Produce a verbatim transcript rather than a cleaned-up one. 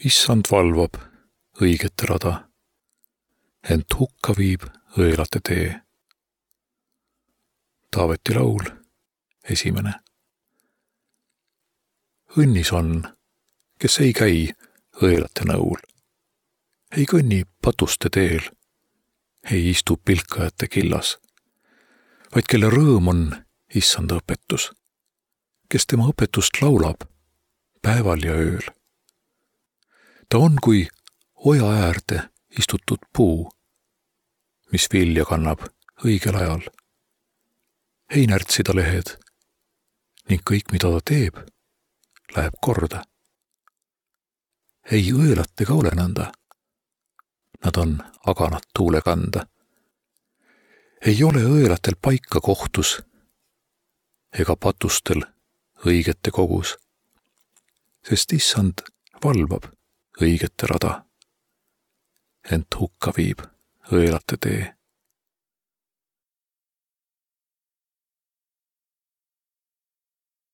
Issand valvab õigete rada, ent hukka viib õelate tee. Taaveti laul, esimene. Õnnis on, kes ei käi õelate nõul, ei kõnni patuste teel, ei istu pilkajate killas, vaid kelle rõõm on issanda õpetus, kes tema õpetust laulab päeval ja ööl. Ta on kui oja äärde istutud puu, mis vilja kannab õigel ajal. Ei närtsi ta lehed ning kõik, mida ta teeb, läheb korda. Ei õelatega ole nõnda, nad on aganat tuule kanda. Ei ole õelatel paika kohtus ega patustel õigete kogus, sest issand valvab õigete rada, ent hukka viib õelate tee.